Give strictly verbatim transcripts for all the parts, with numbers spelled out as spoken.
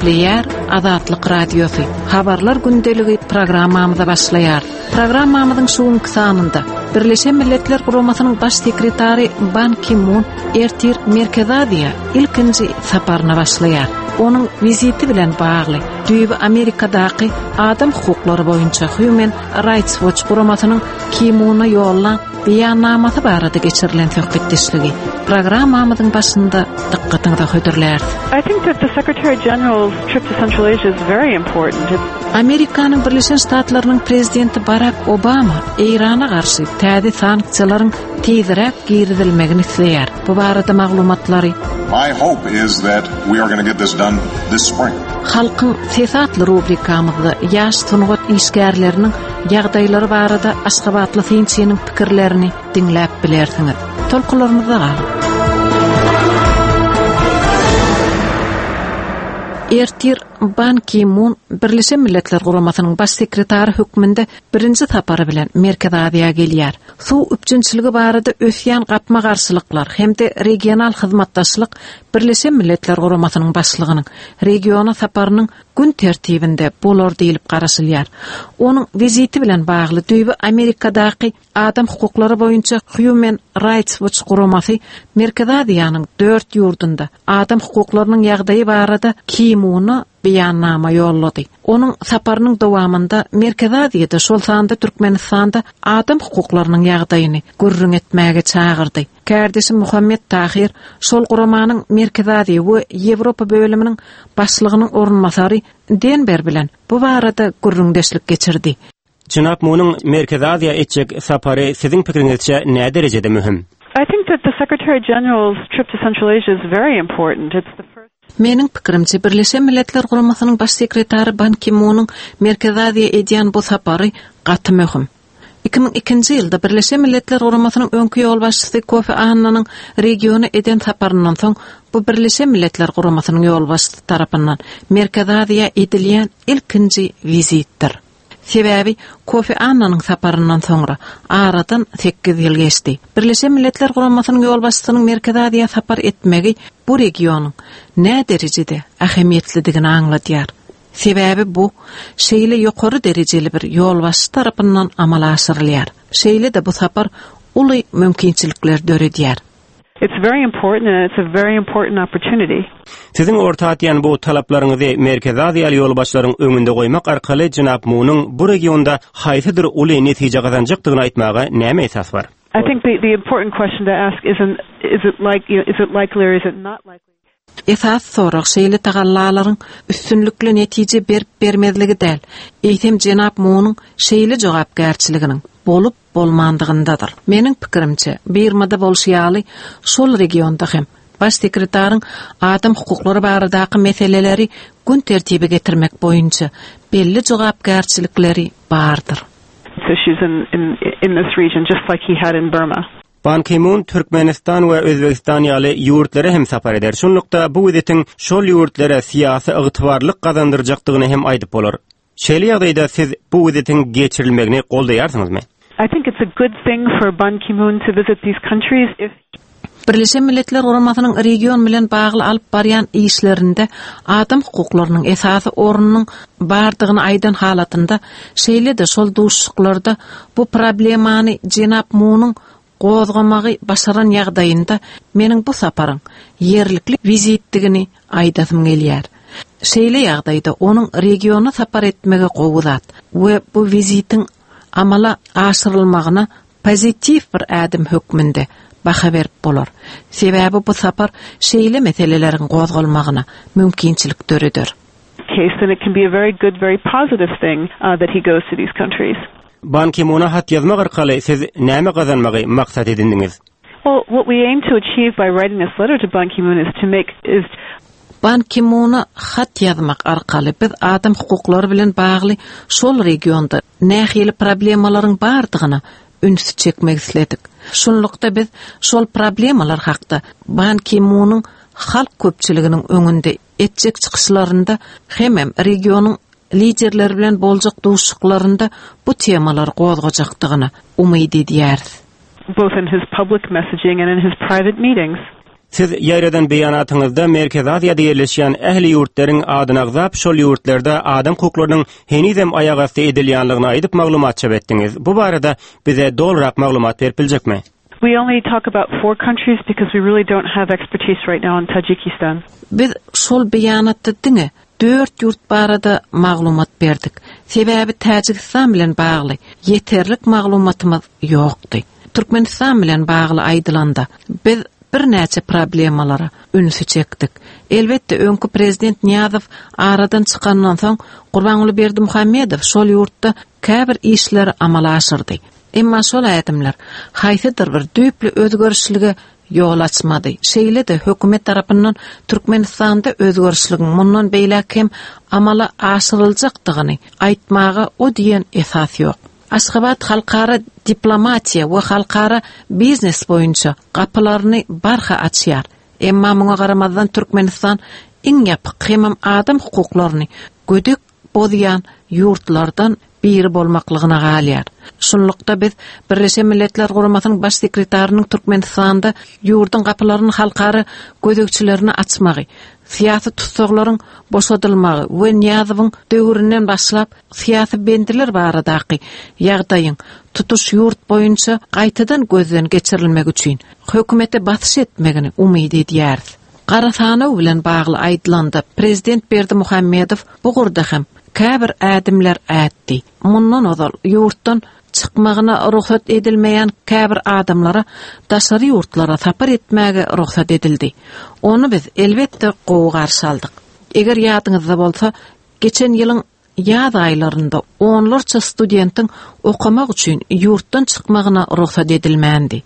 Gepleýär Azatlyk Radiosy. Habarlar gündeligi programmamyza başlaýar. Programmamyzyň şu günki sanynda Birleşen Milletler Guramasynyň baş sekretary Ban Ki-mun ertir Merkezi Aziýa ilkinji saparyna başlaýar. Onuň wiziti bilen bagly düýbi Amerikadaky adam hukuklary boýunça Human Rights Watch guramasynyň Ki-muna ýollan beýannamasy barada geçirilen söhbetdeşligi programmamyzyň başynda dykgatyňyza hödürläris. I think that the Secretary General's trip to Central Asia is very important. It's Amerikanyň Birleşen Ştatlarynyň prezidenti Barak Obama Eýrana garşy täze sanksiýalaryň tizräk girizilmegini isleýär. Bu barada maglumatlary My hope is that we are going to get this done this spring. Halkyň Sesi atly rubrikamyzda ýaş sungat işgärleriniň ýagdaýlary barada Aşgabatly synçynyň pikirlerini diňläp bilersiňiz. Tolkunlarymyzda galyň. Ertir Ban Ki-mun Birleşen Milletler Guramasynyň baş sekretary hökmünde birinji sapary bilen Merkezi Aziýa gelýär. Suw üpjünçiligi barada ösýän gapma-garşylyklar hem-de regional hyzmatdaşlyk Birleşen Milletler Guramasynyň başlygynyň regiona saparynyň gün tertibinde bolar diýilip garaşylýar. Onuň wiziti bilen bagly düýbi Amerikadaky adam hukuklary boýunça Human Rights Watch guramasy Merkezi Aziýanyň dört ýurdunda adam hukuklarynyň ýagdaýy barada Ki-muna beýannama ýollady. Onuň saparynyň dowamynda Merkezi Aziýada, şol sanda Türkmenistanda adam hukuklarynyň ýagdaýyny gürrüň etmäge çagyrdy. Kärdeşim Muhammet Tahir şol guramanyň Merkezi Aziýa we Ýewropa bölüminiň başlygynyň orunbasary Denber bilen bu barada gürrüňdeşlik geçirdi. Jenap Munuň Merkezi Aziýa etjek sapary siziň pikiriňizçe nä derejede möhüm? I think that the Secretary General's trip to Central Asia is very important. It's the first Meniň pikirimçe Birleşen Milletler Guramasynyň baş sekretary Ban Ki-munyň Merkezi Aziýa edýän bu sapary gaty möhüm. iki müň ikinji ýylda Birleşen Milletler Guramasynyň öňki ýolbaşçysy Kofi Annanyň regiona eden saparyndan soň bu Birleşen Milletler Guramasynyň ýolbaşçysy tarapyndan Merkezi Aziýa edilýän ilkinji wizitdir. Sebäbi Kofi Annanyň saparyndan soňra aradan sekiz ýyl geçdi. Birleşen Milletler Guramasynyň ýolbaşçysynyň Merkezi Aziýa sapar etmegi bu regionyň nä derejede ähmiýetlidigini aňladýar. Sebäbi bu şeýle ýokary derejeli bir ýolbaşçy tarapyndan amala aşyrylýar. Şeýle-de bu sapar uly mümkinçilikler döredýär. It's very important and it's a very important opportunity. Siziň orta atýan bu talaplaryňyzy Merkezi Aziýa ýolbaşçylaryň öňünde goýmak arkaly Jenap Munuň bu regionda haýsydyr uly netije gazanjakdygyny aýtmaga näme esas bar? I think the, the important question to ask isn't is it like you know, is it likely or is it not likely? Esas sorag şeýle tagallalaryň üstünlikli netije berip bermezligi däl. Eýsem Jenap Munuň şeýle jogapkärçiliginiň bolup bolmandygyndadyr. Meniň pikirimçe, Birmada bolşy ýaly şol regionda hem baş sekretaryň adam hukuklary baradaky meseleleri gün tertibe getirmek boýunça belli jogapkärçilikleri bardyr. Issues in, in, in this region, just like he had in Burma. Ban Ki-mun Türkmenistan we Özbegistan ýaly ýurtlara hem sapar eder. Şunlukda bu wizitiň şol ýurtlara syýasy ygtybarlyk gazandyrjakdygyny hem aýdyp bolar. Şeýle ýagdaýda siz bu wizitiň geçirilmegini goldaýarsyňyzmy? I think it's a good thing for Ban Ki-moon to visit these countries if Birleşen Milletler Guramasynyň region bilen bagly alyp barýan işlerinde adam hukuklarynyň esasy ornunyň bardygyny aýdan halatynda, şeýle-de şol duşuşyklarda bu problemany Jenap Munuň gozgamagy başaran ýagdaýynda meniň bu saparyň ýerlikli wizitdigini aýdasym gelýär. Şeýle ýagdaýda onuň regiona sapar etmegi gowy zat we bu wizitiň amala aşyrylmagyna pozitiw bir ädim hökmünde baha berip bolar. Sebäbi bu sapar şeýle meseleleriň gozgalmagyna mümkinçilik döreder. Case, then it can be a very good, very positive thing, uh, that he goes to these countries. Ban Ki-muna hat ýazmak arkaly siz näme gazanmagy maksat edindiňiz? Well, what we aim to achieve by writing this letter to Ban Ki-moon is to make is Ban Ki-muna hat ýazmak arkaly biz adam hukuklary bilen bagly şol regionda nähili problemalaryň bardygyna üns çekmek isledik. Şunlukda biz şol problemalar hakda Ban Ki-munyň halk köpçüliginiň öňünde etjek çykyşlarynda hemem regionyň liderleri bilen boljak duşuşyklarynda bu temalar gozgajakdygyna umyt edýäris. Both in his public messaging and in his private meetings. Siz ýaýradan beýanatyňyzda Merkezi Aziýada ýerleşýän ähli ýurtlaryň adyny agzap, şol ýurtlarda adam hukuklarynyň henizem aýagasty edilýänligini aýdyp maglumat çap etdiňiz. Bu barada bize dolurak maglumat berip biljekmi? We only talk about four countries because we really don't have expertise right now in Tajikistan. Biz şol beýanatda diňe dört ýurt barada maglumat berdik. Sebäbi Täjigistan bilen bagly ýeterlik maglumatymyz ýokdy. Türkmenistan bilen bagly aýdylanda biz birnäçe problemalara ünsi çekdik. Elbetde öňki prezident Niýazow aradan çykandan soň Gurbanguly Berdimuhamedow şol ýurtda käbir işleri amala aşyrdy. Emma şol ädimler haýsydyr bir düýpli özgerişlige ýol açmady. Şeýle-de hökümet tarapyndan Türkmenistanda özgerişligiň mundan beýläk hem amala aşyryljakdygyny aýtmaga o diýen esas ýok. Aşgabat halkara diplomatiýa we halkara biznes boýunça gapylaryny barha açýar. Emma muňa garamazdan Türkmenistan iň ýapyk hemem adam hukuklaryny gödek bozýan ýurtlardan biri bolmaklygyna galýar. Şunlukda biz Birleşen Milletler Guramasynyň baş sekretarynyň Türkmenistanda ýurduň gapylaryny halkara gözegçilerine açmagy, syýasy tussaglaryň boşadylmagy we Niýazowyň döwründen başlap syýasy bendiler baradaky ýagdaýyň tutuş ýurt boýunça gaýtadan gözden geçirilmegi üçin hökümete basyş etmegini umyt edýäris. Gara sanaw bilen bagly aýdylanda prezident Berdimuhamedow bu gurda hem käbir ädimler ätdi. Mundan ozal ýurtdan çykmagyna rugsat edilmeýän käbir adamlara daşary ýurtlara sapar etmäge rugsat edildi. Ony biz elbetde gowy garşy aldyk. Eger ýadyňyzda bolsa, geçen ýylyň ýaz aýlarynda onlarça studentiň okamak üçin ýurtdan çykmagyna rugsat edilmändi.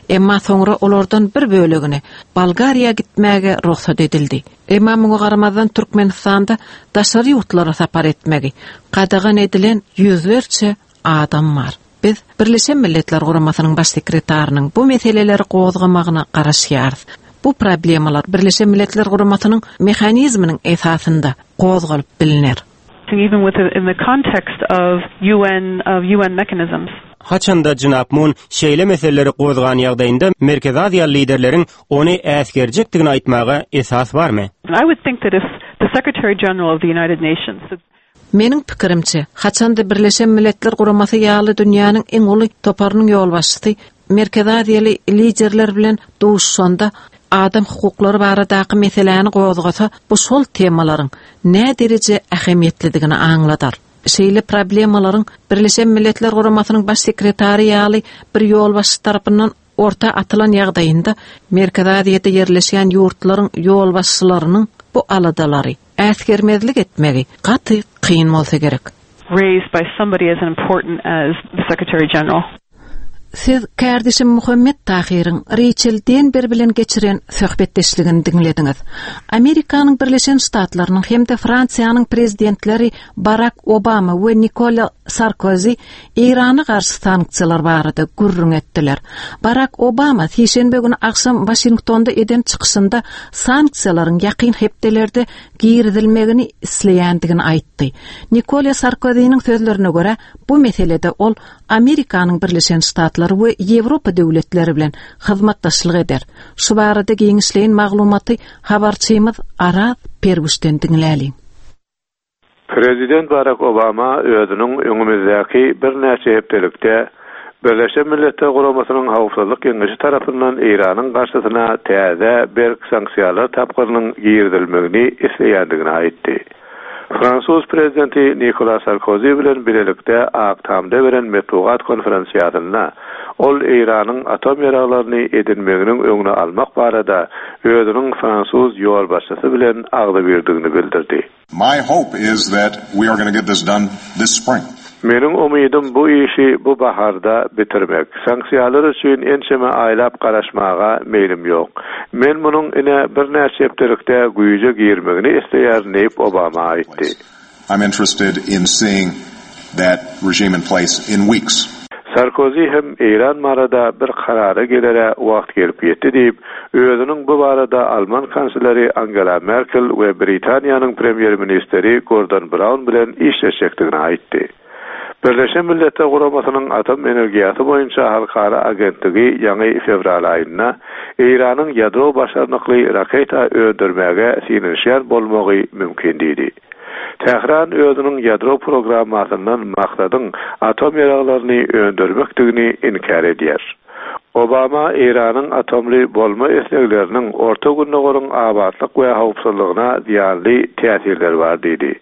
Emma soňra olardan bir bölegini Bolgariýa gitmäge rugsat edildi. Emma muňa garamazdan Türkmenistanda daşary ýurtlara sapar etmegi gadagan edilen ýüzlerçe adam bar. Biz Birleşen Milletler Guramasynyň baş sekretarynyň bu meseleleri gozgamagyna garaşýarys. Bu problemalar Birleşen Milletler Guramasynyň mehanizminiň esasynda gozgalyp biliner. Even with in the context of UN of UN mechanisms. Haçanda Jenap Mun şeýle meseleleri gozgan ýagdaýynda Merkezi Aziýa liderleriň ony äsgerjekdigini aýtmaga esas barmy? I would think that if the Secretary General of the United Nations Meniň pikirimçe, haçanda Birleşen Milletler Guramasy ýaly dünýäniň iň uly toparynyň ýolbaşçysy Merkezi Aziýaly liderler bilen duşuşanda adam hukuklary baradaky meseläni gozgasa, bu şol temalaryň nä dereje ähmiýetlidigini aňladar. Şeýle problemalaryň Birleşen Milletler Guramasynyň baş sekretary ýaly bir ýolbaşçy tarapyndan orta atylan ýagdaýynda Merkezi Aziýada ýerleşýän ýurtlaryň ýolbaşçylarynyň bu aladalary äsgermezlik etmegi gaty kyn bolsa gerek. raised by somebody as important as the Secretary General. Siz kärdeşim Muhammet Tahyryň Rachel Denber bilen geçiren söhbetdeşligini diňlediňiz. Amerikanyň Birleşen Ştatlarynyň hem-de Fransiýanyň prezidentleri Barack Obama we Nikola Sarkozy Eýrana garşy sanksiýalar barada gürrüň etdiler. Barack Obama sişenbe güni agşam Washingtonda eden çykyşynda sanksiýalaryň ýakyn hepdelerde girizilmegini isleýändigini aýtdy. Nikola Sarkozynyň sözlerine görä bu meselede ol Amerikanyň Birleşen Ştatlary we Ýewropa döwletleri bilen hyzmatdaşlyk eder. Şu barada giňişleýin maglumaty habarçymyz Araz Pergüşden diňläliň. Prezident Barack Obama özüniň öňümizdäki birnäçe hepdelikde Birleşen Milletler Guramasynyň Howpsuzlyk Geňeşi tarapyndan Eýranyň garşysyna täze berk sanksiýalar tapgyrynyň girizilmegini isleýändigini aýtdy. Fransuz prezidenti Nikola Sarkozy bilen birlikde Ak Tamda beren metbugat konferensiýasynda ol Eýranyň atom ýaraglaryny edinmeginiň öňüni almak barada özüniň fransuz ýolbaşçysy bilen agzybirdigini bildirdi. My hope is that we are going to get this done this spring. Meniň umydym bu işi bu baharda bitirmek. Sanksiýalar üçin ençeme aýlap garaşmaga meýlim ýok. Men munuň ine birnäçe hepdelikde güýje girmegini isleýärin diýip Obama aýtdy. I'm interested in seeing that regime in place in weeks. Sarkozy hem Eýran barada bir karara gelere wagt gelip ýetdi diýip, özüniň bu barada Alman kansleri Angela Merkel we Britaniýanyň premýer ministri Gordon Brown bilen işleşjekdigini aýtdy. Birleşen Milletler Guramasynyň atom energiýasy boýunça halkara agentligi ýaňy fewral aýynda Eýranyň ýadro başarnykly raketa öndürmäge synanyşýan bolmagy mümkin diýdi. Tähran özüniň ýadro programmasyndan maksadyň atom ýaraglaryny öndürmekdigini inkär edýär. Obama Eýranyň atomly bolma islegleriniň Orta Gündogaryň abatlyk we howpsuzlygyna zyýanly täsirleri bar diýdi.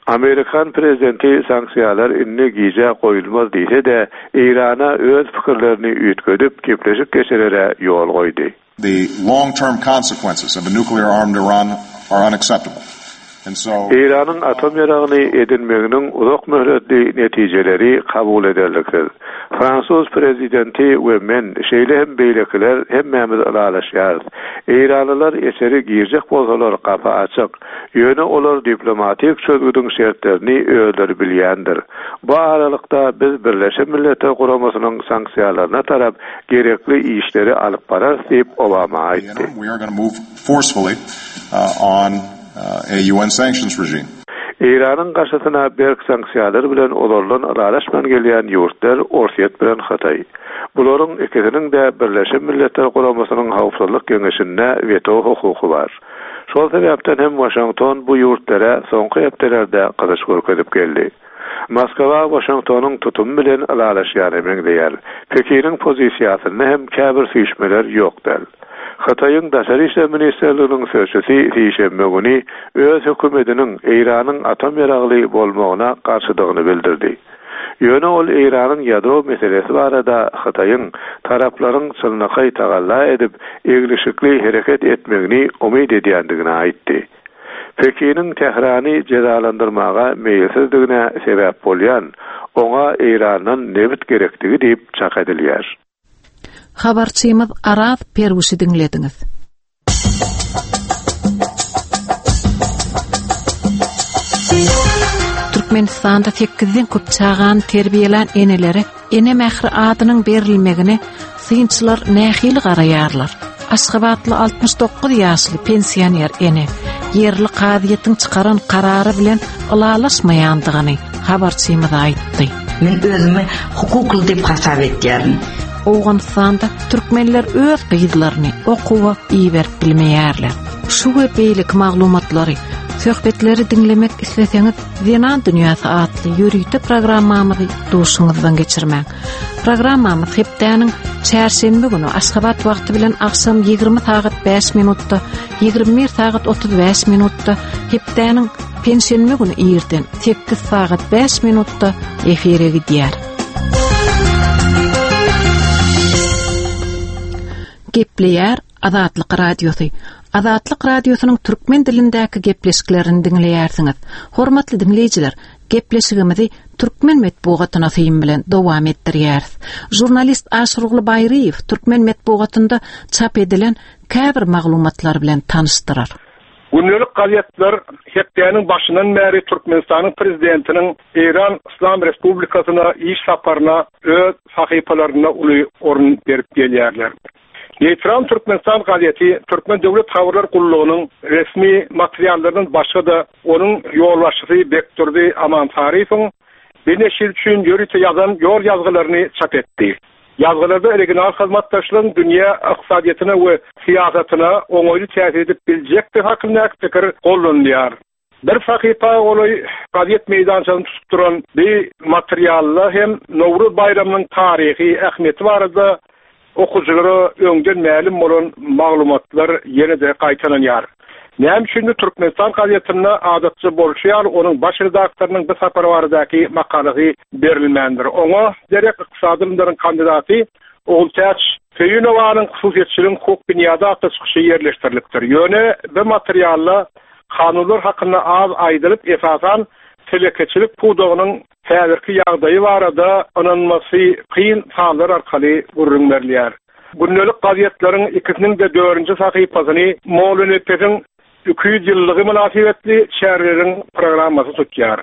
Amerikan prezidenti sanksiýalar indi gije goýulmaz diýse-de, Eýrana öz pikirlerini üýtgedip gepleşik geçirere ýol goýdy. The long-term consequences of a nuclear armed Iran are unacceptable. And so Eýranyň atom ýaragyny edinmeginiň uzak möhletli netijeleri kabul ederliksiz. Fransuz prezidenti we men, şeýle hem beýlekiler hemmämiz ylalaşýarys. Eýranlylar içeri girjek bolsalar gapy açyk. Ýöne olar diplomatik çözgüdiň şertlerini özleri bilýändir. Bu aralykda biz Birleşen Milletler Guramasynyň sanksiýalaryna tarap gerekli işleri alyp bararys diýip Obama aýtdy. we are going to move forcefully uh, on uh, a U N sanctions regime. Eýranyň garşysyna berk sanksiýalar bilen ozaldan ylalaşman gelýän ýurtlar Orsýet bilen Hytaý. Bularyň ikisiniň de Birleşen Milletler Guramasynyň Howpsuzlyk Geňeşinde weto hukuky bar. Şol sebäpden hem Washington bu ýurtlara soňky hepdelerde gyzyş görkezip geldi. Moskwa Washingtonyň tutumy bilen ylalaşýany meňzeýär. Pekiniň pozisiýasynda hem käbir süýşmeler ýok däl. Hytaýyň Daşary işler ministrliginiň sözçüsi sişenbe güni öz hökümetiniň Eýranyň atom ýaragly bolmagyna garşydygyny bildirdi. Ýöne ol Eýranyň ýadro meselesi barada Hytaýyň taraplaryň çynlakaý tagalla edip eglişikli hereket etmegini umyt edýändigini aýtdy. Pekiniň Tährany jezalandyrmaga meýilsizdigine sebäp bolýan oňa Eýrandan nebit gerekdigi diýip çak edilýär. Habarçymyz Araz Perwişi diňlediňiz. Türkmenistanda sekizden köp çagany terbiýelän enelere ene mähri adynyň berilmegine synçylar nähili garaýarlar? Aşgabatly altmyş dokuz ýaşly pensioner ene ýerli kazyýetiň çykaran karary bilen ylalaşmaýandygyny habarçymyz aýtdy. Men özümi hukukly diýip hasap etýärin. Owganystanda türkmenler öz gyzlaryny okuwa iberip bilmeýärler. Şu we beýleki maglumatlary, söhbetleri diňlemek isleseňiz, Zenan Dünýäsi atly ýörite programmamyzy duşuňyzdan geçirmäň. Programmamyz hepdäniň çärşenbe günü Aşgabat wagty bilen agşam ýigrimi sagat bäş minutda, ýigrimi bir sagat otuz bäş minutda, hepdäniň penşenbe günü irden sekiz sagat bäş minutda efire gidýär. Gepleýär Azatlyk Radiosy. Azatlyk Radiosynyň türkmen dilindäki gepleşiklerini diňleýärsiňiz. Hormatly diňleýjiler, gepleşigimizi türkmen metbugatyna syn bilen dowam etdirýäris. Žurnalist Aşyrguly Baýryýew türkmen metbugatynda çap edilen käbir maglumatlar bilen tanyşdyrar. Gündelik gazetler hepdäniň başyndan bäri Türkmenistanyň prezidentiniň Eýran Islam Respublikasyna iş saparyna öz sahypalarynda uly orun berip gelýärler. Neýtral Türkmenistan gazeti Türkmen Döwlet Habarlar Gullugynyň resmi materiallaryndan başga-da onuň ýolbaşçysy Bekdurdy Amansaryýewiň bir neşir üçin ýörite ýazan ýol ýazgylaryny çap etdi. Ýazgylarda regional hyzmatdaşlygyň dünýä ykdysadyýetine we syýasatyna oňaýly täsir edip biljekdigi hakyndaky pikir gollanylýar. Bir sahypa golaý gazet meýdançasyny tutup duran bir materialda hem Nowruz baýramynyň taryhy ähmiýeti barada okujylara öňden mälim bolan maglumatlar ýene-de gaýtalanýar. Näme üçin Türkmenistan gazetinde adatça bolşy ýaly onuň baş redaktorynyň bu sapar baradaky makalasy berilmändir. Oňa derek ykdysady ylymlaryň kandidaty Ogultäç Söýünowanyň hususyýetçiligiň hukuk binýady atly çykyşy ýerleşdirilipdir. Ýöne bu materialda kanunlar hakynda az aýdylyp, esasan telekeçilik pudagynyň häzirki ýagdaýy barada ynanmasy kyn sanlar arkaly gürrüň berilýär. Gündelik gazetleriň ikisiniň de dördünji sahypasyny Molla Nepesiň iki ýüz ýyllygy mynasybetli çäreleriň programmasy tutýar.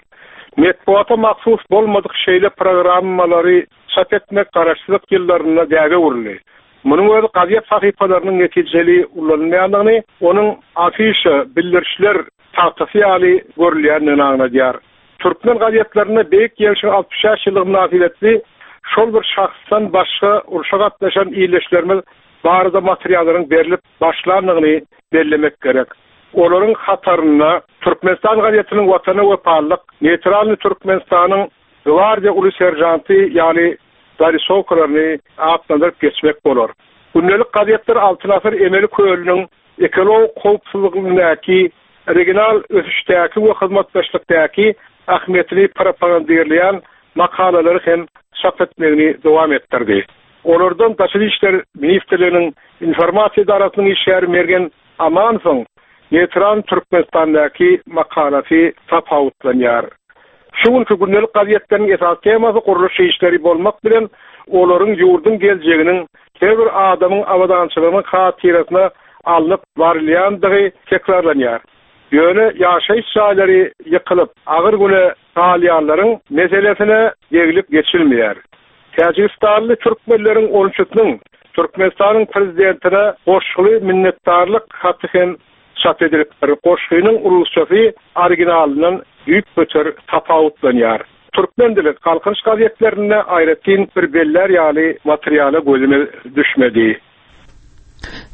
Metbuata mahsus bolmadyk şeýle programmalary çap etmek garaşsyzlyk ýyllarynda däbe öwrüldi. Munuň özi gazet sahypalarynyň netijeli ulanylmaýandygyny, onuň afişa, bildirişler tagtasy ýaly görülýändigini aňladýar. Türkmen gazetlerinde Beýik Ýeňşiň altmyş bäş ýyllygy mynasybetli şol bir şahsdan başga urşa gatnaşan ildeşlerimiz barada materiallaryň berlip başlandygyny bellemek gerek. Olaryň hatarynda Türkmenistan gazetiniň Watana wepalylyk, Neytralny Türkmenistanyň Gwardiýa uly serjanty ýaly zarisowkalaryny atlandyryp geçmek bolar. Gündelik gazetler Altyn asyr emeli kölüniň ekologik howpsuzlygyndaky, regional ösüşdäki we hyzmatdaşlykdaky ähmiýetini propagandirleýän makalalary hem çap etmegini dowam etdirdi. Olardan Daşary işler ministrliginiň informasiýa edarasynyň işgäri Mergen Amanowyň Neytral Türkmenistandaky makalasy tapawutlanýar. Şu günkü gündelik gazetleriniň esasy temasy gurluş işleri bolmak bilen olaryň ýurduň geljeginiň her bir adamyň abadançylygynyň hatyrasyna alnyp barylýandygy tekrarlanýar. Ýöne ýaşaýyş jaýlary ýykylyp, agyr güne galýanlaryň meselesine deglip geçilmeýär. Täjigistanly türkmenleriň on üçüsiniň Türkmenistanyň prezidentine goşguly minnetdarlyk haty hem çap edilipdir. Goşgynyň rusçasy originalyndan düýpgöter tapawutlanýar. Türkmen dili Galkynyş gazetlerinde aýratyn bir beller ýaly materiala gözüme düşmedi.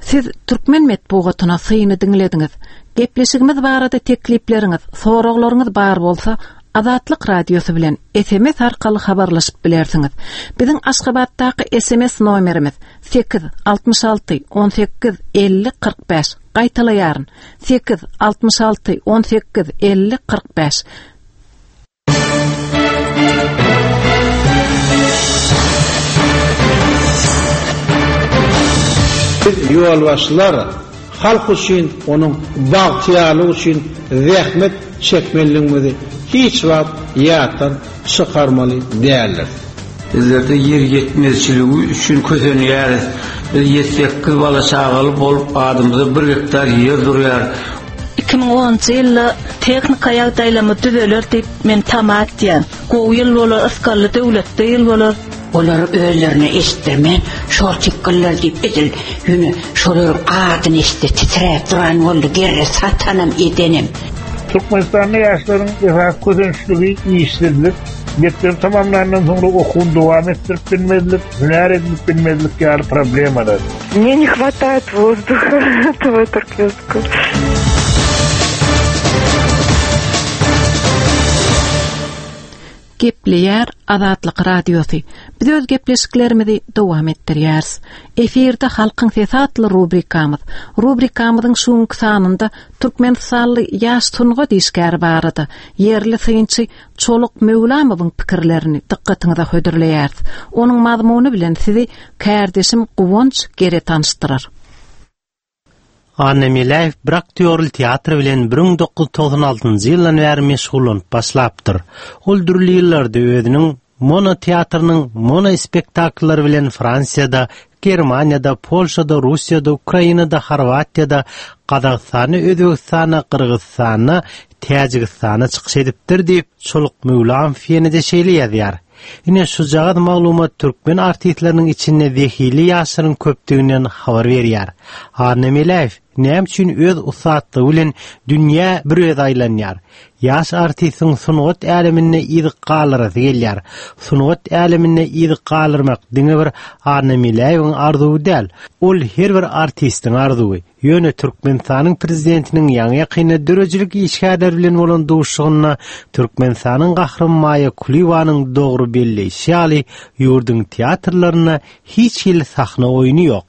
Siz türkmen metbugatyna syny diňlediňiz. Gepleşigimiz barada teklipleriňiz, soraglaryňyz bar bolsa, Azatlyk radiosy bilen S M S arkaly habarlaşyp bilersiňiz. Biziň Aşgabatdaky S M S nomerimiz sekiz altmyş alty on sekiz elli kyrk bäş. Gaýtalaýaryn. Sekiz altmyş alty on sekiz elli kyrk bäş. Biz ýolbaşçylar halk üçin, onuň bagtyýarlygy üçin zähmet çekmeliligimizi hiç wagt ýatdan çykarmaly däldir. Bizlerde ýer ýetmezçiligi üçin kösenýäris. Biz ýedi sekiz bala çagaly bolup adymyza bir gektar ýer durýar. Iki müň onunjy ýylda tehnika ýagdaýlamy düzeler diýip men tama etýän. Gowy ýyl bolar, ysgally döwletde ýyl bolar. Olar özlerine eşitdirmän, şol tipkiller diýip edil, ýöne şolaryň adyny eşitdi, titräp duran boldy, gerre satanam edenem. Türkmenistanda ýaşlaryň esas kösençligi işsizlik, mekdep tamamlandan soňra okuwyny dowam etdirip bilmezlik, hünär edinip bilmezlik ýaly problemalar. Мне не хватает воздуха этого туркменского. Gepleýär Azatlyk radiosy. Biz öz gepleşiklerimizi dowam etdirýäris. Efirde Halkyň sesi atly rubrikamyz. Rubrikamyzyň şu sanynda Türkmenistanly ýaş sungat işgäri barada ýerli synçy Çoluk Möwlamowyň pikirlerini dykgatyňyza hödürleýäris. Onuň mazmuny bilen sizi kärdeşim Guwanç Gere tanyşdyrar. Anna Meläýew bir aktýorly teatr bilen bir müň dokuz ýüz togsan altynjy ýyldan bäri meşgullanyp başlapdyr. Ol dürli ýyllarda özüniň mono teatrynyň mono spektakllary bilen Fransiýada, Germaniýada, Polşada, Russiýada, Ukrainada, Horwatiýada, Gazagystanda, Özbegistanda, Gyrgyzystanda, Täjigistanda çykyş edipdir diýip Çoluk Möwlamow ýene-de şeýle ýazýar. Ine şujagaz maglumat türkmen artistleriniň içinde zehili ýaşlaryň köpdüginden habar berýär. Anna Meläýew näme üçin öz ussatlygy bilen dünýä bir öz aýlanýar? Ýaş artistiň sungat äleminde yz galyrasy gelýär. Sungat äleminde yz galyrmak diňe bir Anna Meläýewiň arzuwy däl, ol her bir artistiň arzuwy. Ýöne Türkmenistanyň prezidentiniň ýaňy ýakynda döredijilik işgärleri bilen bolan duşuşygynda Türkmenistanyň gahryman Maýa Kulyýewanyň dogry belleýşi ýaly ýurduň teatrlarynda hiç hili sahna oýny ýok.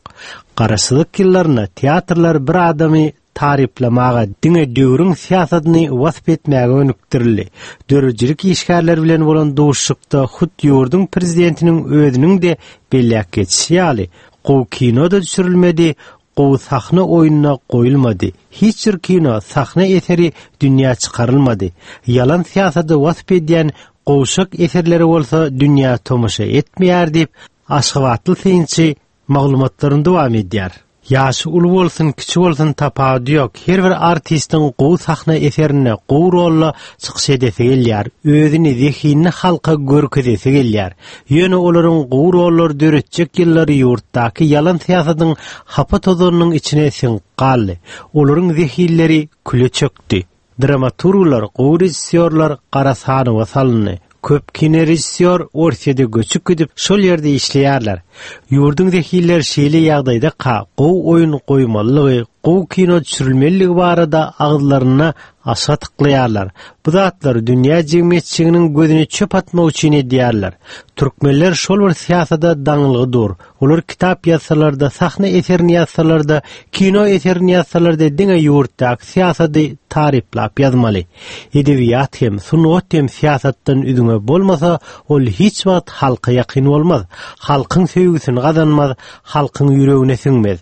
Garaşsyzlyk ýyllarynda teatrlar bir adamy taryplamaga, diňe döwrüň syýasatyny wasp etmäge gönükdirildi. Döredijilik işgärleri bilen bolan duşuşykda hut ýurduň prezidentiniň özüniň de belläp geçişi ýaly, gowy kino da düşürilmedi, gowy sahna oýnuna goýulmady. Hiç bir kino, sahna eseri dünýä çykarylmady. Ýalan syýasaty wasp edýän gowşak eserleri bolsa dünýä tomaşa etmeýär diýip, Aşgabatly synçy maglumatlaryny dowam edýär. Ýaşy uly bolsun, kiçi bolsun tapawudy ýok. Her bir artistiň gowy sahna eserinde, gowy rolla çykyş edesi gelýär. Özüni zehinli halka görkezesi gelýär. Ýöne olaryň gowy rollar döretjek ýyllary ýurtdaky ýalan syýasatyň hapa tozanynyň içine siňip galdy. Olaryň zehinleri küle çökdi. Dramaturglar, gowy režissýorlar gara sanawa salyndy. Köp kino režissýor Orsýede göçüp gidip, şol ýerde işleýärler. Ýurduň zehinleri şeýle ýagdaýdaka gowy oýun goýmalylygy, gowy kino düşürilmeliligi barada agyzlaryna aşa tyklaýarlar. Bu zatlary dünýä jemgyýetçiliginiň gözüne çöp atmak üçin edýärler. Türkmenler şol bir syýasada daňylgy dur. Olar kitap ýazsalar-da, sahna eserini ýazsalar-da, kino eserini ýazsalar-da diňe ýurtdaky syýasady taryplap ýazmaly. Edebiýat hem, sungat hem syýasatdan üzňe bolmasa, ol hiç wagt halka ýakyn bolmaz. Halkyň söýgüsini gazanmaz, halkyň ýüregine siňmez.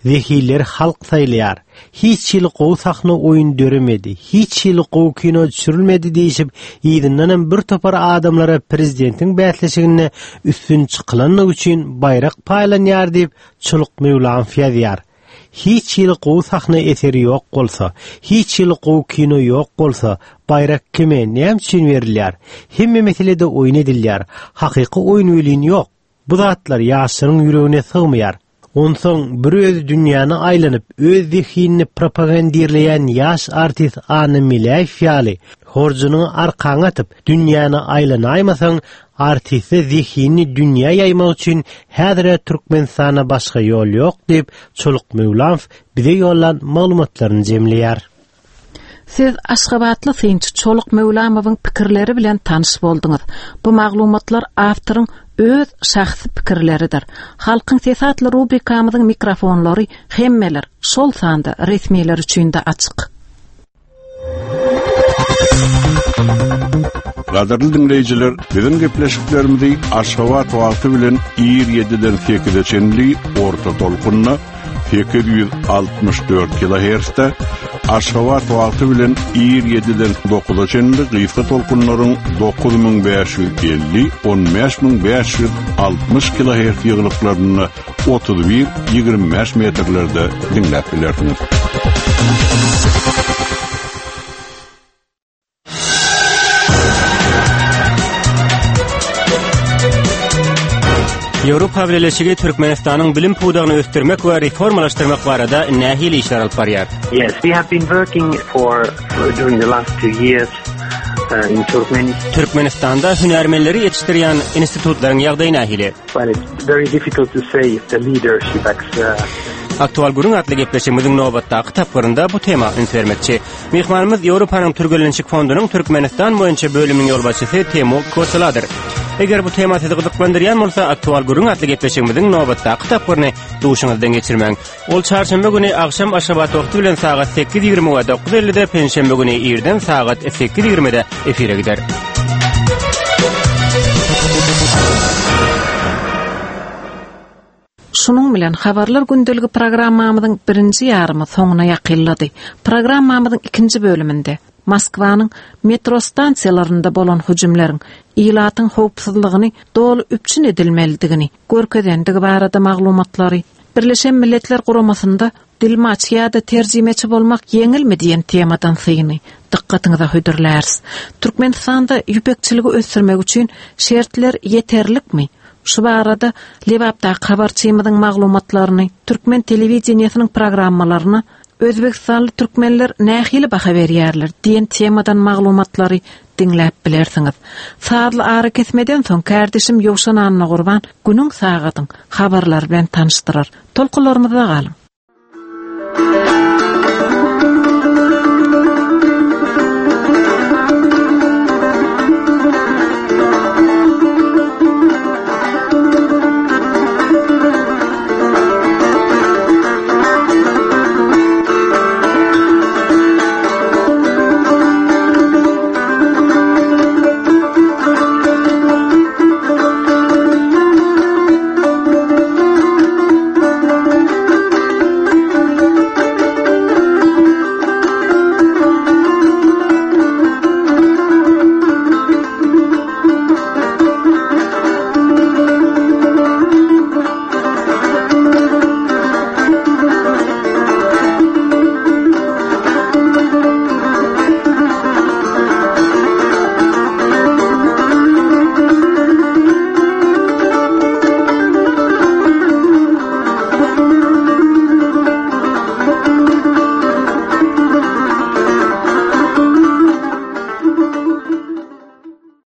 Zehinleri halk saýlaýar. Hiç hili gowy sahna oýun döremedi, hiç hili gowy kino düşürilmedi diýişip, yzyndanam bir topar adamlara prezidentiň bäsleşiginde üstün çykylanlygy üçin baýrak paýlanýar diýip, Çoluk Möwlamow ýazýar. Hiç hili gowy sahna eseri ýok bolsa, hiç hili gowy kino ýok bolsa, baýrak kime, näme üçin berilýär? Hemme meselede oýun edilýär. Hakyky oýun welin ýok. Bu zatlar ýaşlaryň ýüregine sygmaýar. Onsoň bir özi dünýäni aýlanyp, öz zehinini propagandirleýän ýaş artist Anna Meläýew ýaly, horjunyňy arkaňa atyp, dünýäni aýlanaýmasaň, artiste zehinini dünýä ýaýmak üçin häzir-ä Türkmenistanda başga ýol ýok diýip, Çoluk Möwlamow bize ýollan maglumatlaryny jemleýär. Siz aşgabatly synçy Çoluk Möwlamowyň pikirleri bilen tanyş bolduňyz. Bu maglumatlar awtoryň öz şahsy pikirleridir. Halkyň sesi atly rubrikamyzyň mikrofonlary hemmeler, şol sanda resmiler üçin-de açyk. Gadyrly diňleýjiler, biziň gepleşiklerimizi Aşgabat wagty bilen ir ýediden sekize çenli orta tolkunda sekiz ýüz altmyş dört kilohertzde, Aşgabat wagty bilen ir ýediden dokuza çenli gysga tolkunlaryň dokuz müň bäş ýüz elli, on bäş müň bäş ýüz altmyş kilohertz ýygylyklarynda otuz bir ýigrimi bäş metrlerde diňläp bilersiňiz. Ýewropa Bileleşigi Türkmenistanyň bilim pudagyny ösdürmek we reformalaşdyrmak barada nähili işler alyp barýar? Yes, we have been working for, for during the last two years, uh, in Turkmenistan. Türkmenistanda hünärmenleri ýetişdirýän institutlaryň ýagdaýy nähili? Well, it's very difficult to say if the leadership acts, uh, Aktual gürrüň atly gepleşigimiziň nobatdaky tapgyrynda bu tema üns bermekçi. Myhmanymyz Ýewropanyň Türgenleşik fondunyň Türkmenistan boýunça bölüminiň ýolbaşçysy Timo Koseladyr. Eger bu tema sizi gyzyklandyrýan bolsa, Aktual gürrüň atly gepleşigimiziň nobatdaky tapgyryny duşuňyzdan geçirmäň. Ol çarşenbe güni agşam Aşgabat wagty bilen sagat sekiz ýigrimi we dokuz ellide, penşenbe güni irden sagat sekiz ýigrimide efire gider. Şunuň bilen habarlar gündeligi programmamyzyň birinji ýarymy soňuna ýakynlady. Programmamyzyň ikinji bölüminde Moskwanyň metro stansiýalarynda bolan hüjümleriň ilatyň howpsuzlygyny doly üpjün edilmelidigini görkezendigi barada maglumatlary, Birleşen Milletler Guramasynda dilmaç ýa-da terjimeçi bolmak ýeňilmi diýen temadan syny dykgatyňyza hödürläris. Türkmenistanda ýüpekçiligi ösdürmek üçin şertler ýeterlikmi? Şu barada Lebapdaky habarçymyzyň maglumatlaryny, Türkmen telewideniýesiniň programmalaryna Özbekistanly türkmenler nähili baha berýärler diýen temadan maglumatlary diňläp bilersiňiz. Sazly ara kesmeden soň kardeşim Ýowşan Annagurban günüň sagadyň habarlary bilen tanyşdyrar. Tolkunlarymyzda galyň.